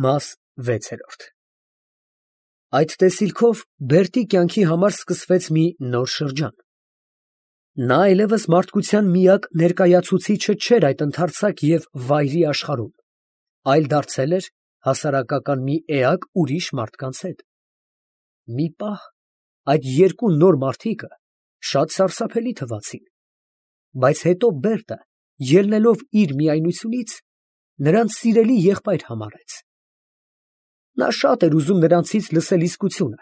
Մաս 6 Այդ տեսիլքով Բերտի կյանքի համար սկսվեց մի նոր շրջան։ Նա այլևս մարդկության միակ ներկայացուցիչը չէր այդ ընդարձակ և վայրի աշխարհում, այլ դարձել էր հասարակական մի էակ ուրիշ մարդկանց հետ։ Մի պահ այդ երկու նոր մարդիկը շատ սարսափելի թվացին, բայց հետո Բերտը, ելնելով իր միայնությունից, նրանց սիրելի եղբայր համարեց։ Նա շատ էր ուզում նրանցից լսել իսկությունը,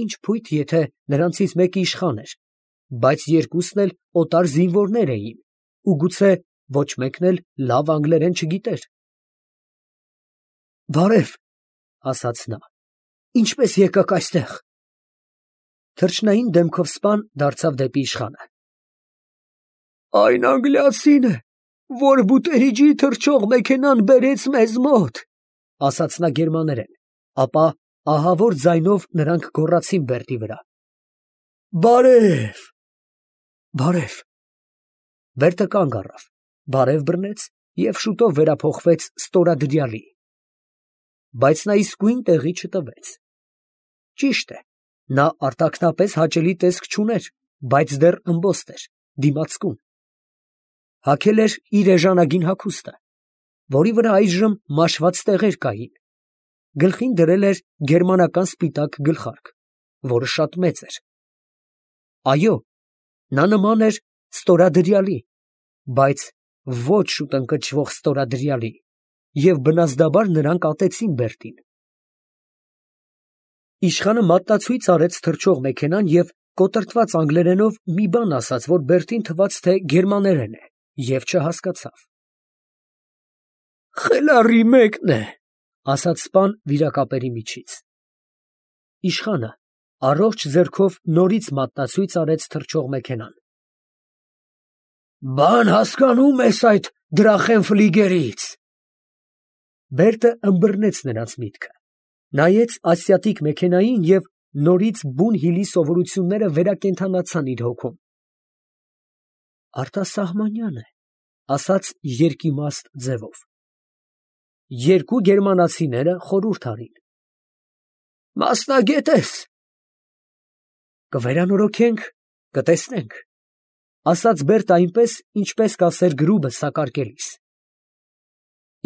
ինչ փույթ, եթե նրանցից մեկը իշխան էր, բայց երկուսն էլ օտար զինվորներ էին, ու գուցե ոչ մեկն էլ լավ անգլերեն չգիտեր։ «Բարև», ասաց նա, «ինչպես եկաք այստեղ»։ Թռչնային դեմքով սպան դարձավ դեպի իշխանը։ «Այն անգլիացին է, որ բուտերիջի թռչող մեքենան բերեց մեզ մոտ», ասաց նա գերմաներեն, ապա ահավոր ձայնով նրանք գոռացին Բերտի վրա. «Բարև»։ «Բարև»։ Բերտը կանգ առավ, բարև բռնեց և շուտով վերափոխվեց ստորադրյալի։ Բայց նա իսկույն տեղի չտվեց։ Ճիշտ է, նա արտաքնապես հաճելի տեսք չուներ, բայց դեռ ըմբոստ էր, դիմացկուն։ Հագել էր իր էժանագին հագուստը, որի վրա այժմ մաշված տեղեր կային, գլխին դրել էր գերմանական սպիտակ գլխարկ, որը շատ մեծ էր։ Այո, նա նման էր ստորադրյալի, բայց ոչ շուտ ընկճվող ստորադրյալի, և բնազդաբար նրանք ատեցին Բերտին։ Իշխանը մատնացույց արեց թռչող մեքենան և կոտրտված անգլերենով մի բան ասաց, որ Բերտին թվաց, թե գերմաներեն է, և չհասկացավ։ «Խելառի մեկն է», ասաց սպան վիրակապերի միջից։ Իշխանը առողջ ձեռքով նորից մատնացույց արեց թռչող մեքենան։ «Բան հասկանում ես այդ Դրախենֆլիգերից»։ Բերտը ըմբռնեց նրանց միտքը, նայեց ասիատիկ մեքենային և նորից բուն հիլի սովորությունները վերակենդանացան իր հոգում։ «Արտասահմանյան է», ասաց երկիմաստ ձևով։ Երկու գերմանացիները խորհուրդ արին։ «Մասնագետ ես»։ «Կվերանորոգենք, կտեսնենք», ասաց Բերտը այնպես, ինչպես կասեր գրուբը սակարկելիս։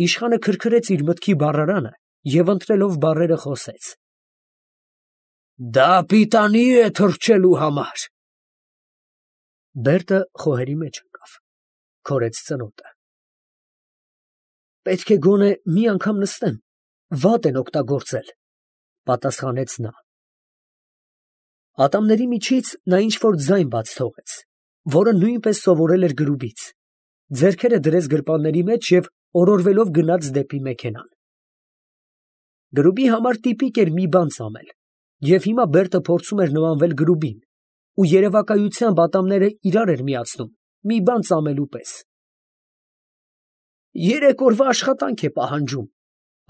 Իշխանը քրքրեց իր մտքի բառարանը և ընտրելով բառերը խոսեց. «Դա պիտանի է թռչելու համար»։ Բերտը խոհերի մեջ ընկավ, քորեց ծնոտը։ «Պետք է գոնե մի անգամ նստեմ, վատ են օգտագործել», պատասխանեց նա։ Ատամների միջից նա ինչ֊որ ձայն բաց թողեց, որը նույնպես սովորել էր գրուբից, ձեռքերը դրեց գրպանների մեջ և օրորվելով գնաց դեպի մեքենան։ Գրուբի համար տիպիկ էր մի բան ծամել, և հիմա Բերտը փորձում էր նմանվել գրուբին ու երևակայությամբ ատամները իրար էր միացնում, մի բան ծամելու պես։ «Երեք օրվա աշխատանք է պահանջում»,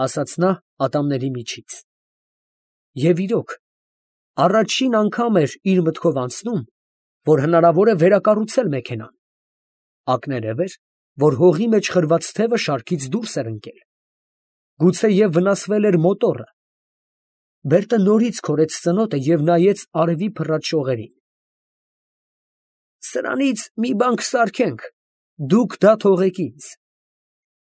ասաց նա ատամների միջից։ Եվ իրոք, առաջին անգամ էր իր մտքով անցնում, որ հնարավոր է վերակառուցել մեքենան։ Ակներև էր, որ հողի մեջ խրված թևը շարքից դուրս էր ընկել։ Գուցեև վնասվել էր մոտորը։ Բերտը նորից քորեց ծնոտը և նայեց արևի փռած շողերին։ «Սրանից մի բան կսարքենք, դուք դա թողեք ինձ»։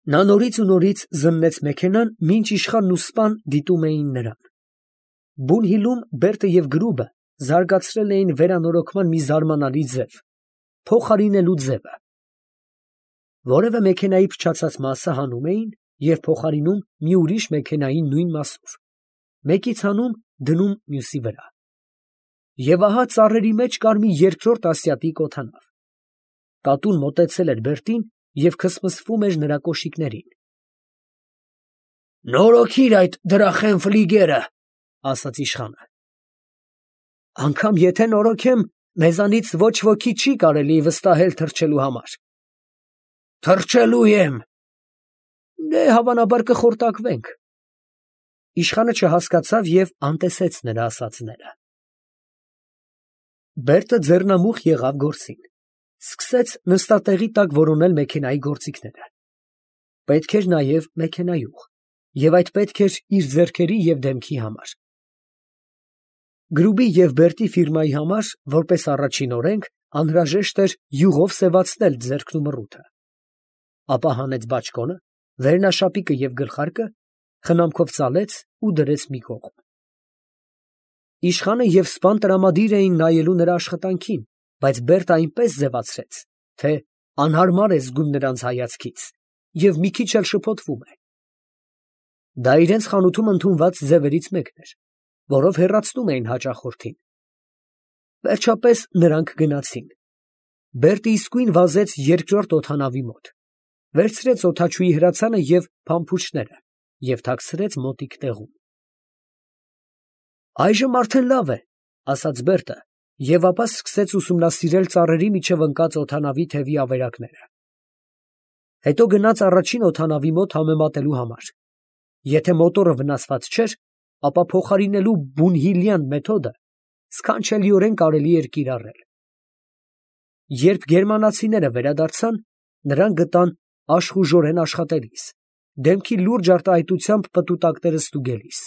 Նա նորից ու նորից զննեց մեքենան, մինչ իշխանն ու սպան դիտում էին նրան։ Բուն հիլում Բերտը և գրուբը զարգացրել էին վերանորոգման մի զարմանալի ձև, փոխարինելու ձևը։ Որևէ մեքենայի փչացած մասը հանում էին և փոխարինում մի ուրիշ մեքենայի նույն մասով, մեկից հանում, դնում մյուսի վրա։ Եվ ահա ծառերի մեջ կար մի երկրորդ ասիատիկ օդանավ։ Կատուն մոտեցել էր Բերտին և քսմսվում էր նրա կոշիկներին։ «Նորոգիր այդ Դրախենֆլիգերը», ասաց իշխանը։ «Անգամ եթե նորոգեմ, մեզանից ոչ ոքի չի կարելի վստահել թռչելու համար»։ «Թռչելու եմ»։ «Դե հավանաբար կխորտակվենք»։ Իշխանը չհասկացավ և անտեսեց նրա ասածները։ Բերտը ձեռնամուխ եղավ գործին, սկսեց նստատեղի տակ որոնել մեքենայի գործիքները։ Պետք էր նաև մեքենայուղ։ և այդ պետք էր իր ձեռքերի և դեմքի համար։ Գրուբի և Բերտի ֆիրմայի համար, որպես առաջին օրենք, անհրաժեշտ էր յուղով սևացնել ձեռքն ու մռութը։ Ապա հանեց բաճկոնը, վերնաշապիկը և գլխարկը, խնամքով ծալեց ու դրեց մի կողմ։ Իշխանը և սպան տրամադիր էին նայելու նրա աշխատանքին, բայց Բերտը այնպես ձևացրեց, թե անհարմար է զգում նրանց հայացքից և մի քիչ էլ շփոթվում է։ Դա իրենց խանութում ընդունված ձևերից մեկն էր, որով հեռացնում էին հաճախորդին։ Վերջապես նրանք գնացին։ Բերտը իսկույն վազեց երկրորդ օդանավի մոտ, վերցրեց օդաչուի հրացանը և փամփուշտները և թաքցրեց մոտիկ տեղում։ «Այժմ արդեն լավ է», ֊ ասաց Բերտը և ապա սկսեց ուսումնասիրել ծառերի միջև ընկած օդանավի թևի ավերակները։ Հետո գնաց առաջին օդանավի մոտ համեմատելու համար։ Եթե մոտորը վնասված չէր, ապա փոխարինելու Բունհիլյան մեթոդը սքանչելիորեն կարելի էր կիրառել։ Երբ գերմանացիները վերադարձան, նրանք գտան աշխուժորեն աշխատելիս, դեմքի լուրջ արտահայտությամբ պտուտակները ստուգելիս։